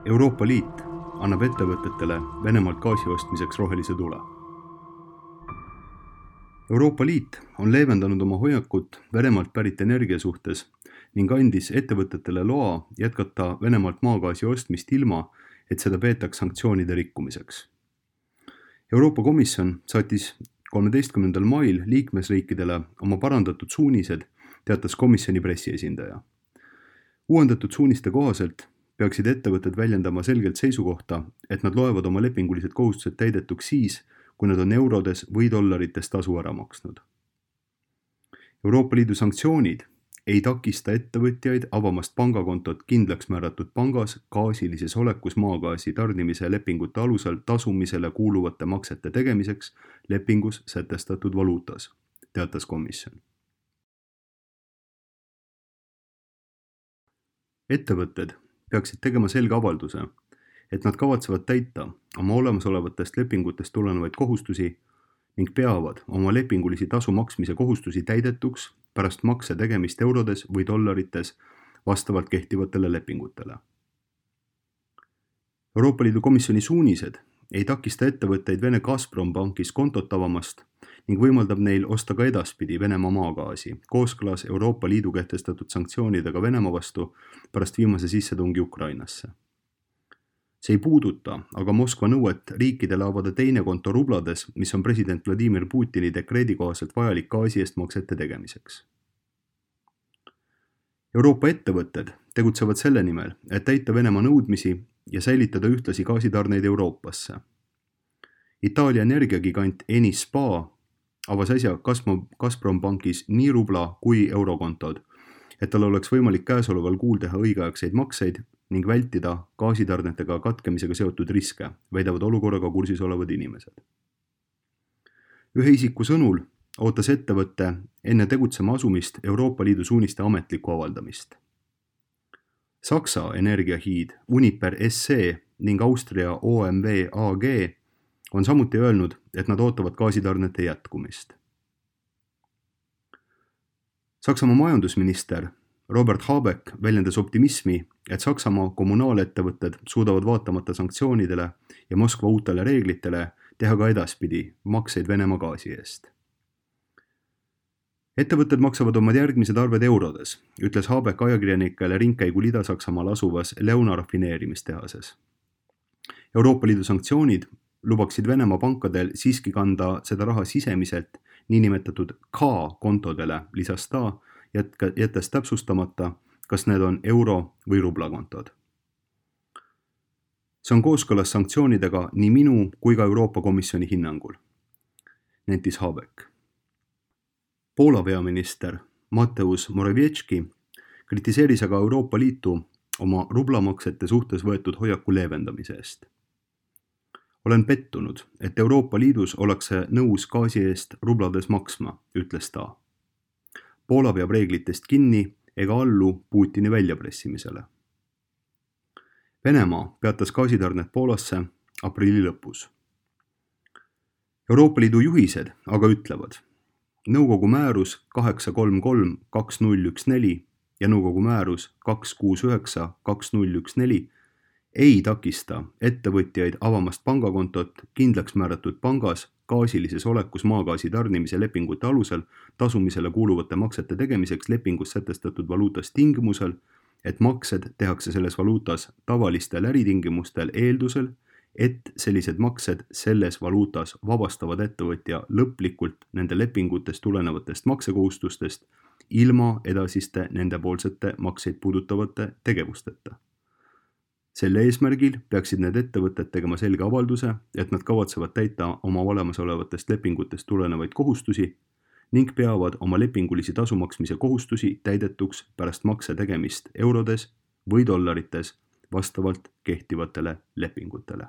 Euroopa Liit annab ettevõtetele Venemaalt gaasi ostmiseks rohelise tule. Euroopa Liit on leevendanud oma hoiakut Venemaalt pärit energia suhtes ning andis ettevõtetele loa jätkata Venemaalt maagaasi ostmist ilma, et seda peetaks sanktsioonide rikkumiseks. Euroopa Komisjon saatis 13. mail liikmesriikidele oma parandatud suunised, teatas komisjoni pressiesindaja. Uuendatud suuniste kohaselt peaksid ettevõtted väljendama selgelt seisukohta, et nad loevad oma lepingulised kohustused täidetuks siis, kui nad on eurodes või dollarites tasu ära maksnud. Euroopa Liidu sanktsioonid ei takista ettevõtjaid avamast pangakontot kindlaks määratud pangas gaasilises olekus maagaasi tarnimise lepingute alusel tasumisele kuuluvate maksete tegemiseks lepingus sätestatud valuutas, teatas komisjon. Ettevõtted peaksid tegema selge avalduse, et nad kavatsevad täita oma olemasolevatest lepingutest tulenevaid kohustusi ning peavad oma lepingulisi tasu maksmise kohustusi täidetuks pärast makse tegemist eurodes või dollarites vastavalt kehtivatele lepingutele. Euroopa Liidu komisjoni suunised ei takista ettevõtteid Vene Gazprom pankis kontot avamast ning võimaldab neil osta ka edaspidi Venemaa maagaasi, kooskõlas Euroopa Liidu kehtestatud sanktsioonidega Venemaa vastu pärast viimase sissetungi Ukrainasse. See ei puuduta aga Moskva nõuet riikidele avada teine konto rublades, mis on president Vladimir Putini dekreedi kohaselt vajalik gaasi eest maksete tegemiseks. Euroopa ettevõtted tegutsevad selle nimel, et täita Venemaa nõudmisi ja säilitada ühtlasi gaasitarneid Euroopasse. Itaalia energiagigant Enispa avas äsja Gazprom pankis nii rubla kui eurokontod, et tal oleks võimalik käesoleval kuul teha õigeaegseid makseid ning vältida gaasitarnetega katkemisega seotud riske, väidavad olukorraga kursis olevad inimesed. Ühe isiku sõnul ootas ettevõtte enne tegutsema asumist Euroopa Liidu suuniste ametlikku avaldamist. Saksa energiahiid Uniper SE ning Austria OMV AG on samuti öelnud, et nad ootavad gaasitarnete jätkumist. Saksamaa majandusminister Robert Habeck väljendas optimismi, et Saksamaa kommunaalettevõtted suudavad vaatamata sanktsioonidele ja Moskva uutele reeglitele teha ka edaspidi makseid Venemaa gaasi eest. Ettevõtted maksavad oma järgmised arved eurodes, ütles Habeck ajakirjanikele ringkäigul Ida-Saksamaal asuvas Leuna rafineerimistehases. Euroopa Liidu sanktsioonid lubaksid Venemaa pankadel siiski kanda seda raha sisemiselt niinimetatud K-kontodele, lisas ta, jättes täpsustamata, kas need on euro- või rublakontod. See on kooskõlas sanktsioonidega nii minu kui ka Euroopa Komisjoni hinnangul, nentis Habeck. Poola peaminister Mateusz Morawiecki kritiseeris aga Euroopa Liitu oma rublamaksete suhtes võetud hoiaku leevendamise eest. Olen pettunud, et Euroopa Liidus ollakse nõus gaasi eest rublades maksma, ütles ta. Poola peab reeglitest kinni ega allu Putini väljapressimisele. Venemaa peatas gaasitarnet Poolasse aprilli lõpus. Euroopa Liidu juhised aga ütlevad, nõukogu määrus 833/2014 ja nõukogu määrus 269/2014 ei takista ettevõtjaid avamast pangakontot kindlaks määratud pangas gaasilises olekus maagaasi tarnimise lepingute alusel tasumisele kuuluvate maksete tegemiseks lepingus sätestatud valuutas tingimusel, et maksed tehakse selles valuutas tavalistel äritingimustel eeldusel, et sellised maksed selles valuutas vabastavad ettevõtja lõplikult nende lepingutest tulenevatest maksekohustustest ilma edasiste nendepoolsete makseid puudutavate tegevusteta. Selle eesmärgil peaksid need ettevõtted tegema selge avalduse, et nad kavatsevad täita oma olemasolevatest lepingutest tulenevaid kohustusi ning peavad oma lepingulisi tasumaksmise kohustusi täidetuks pärast makse tegemist eurodes või dollarites vastavalt kehtivatele lepingutele.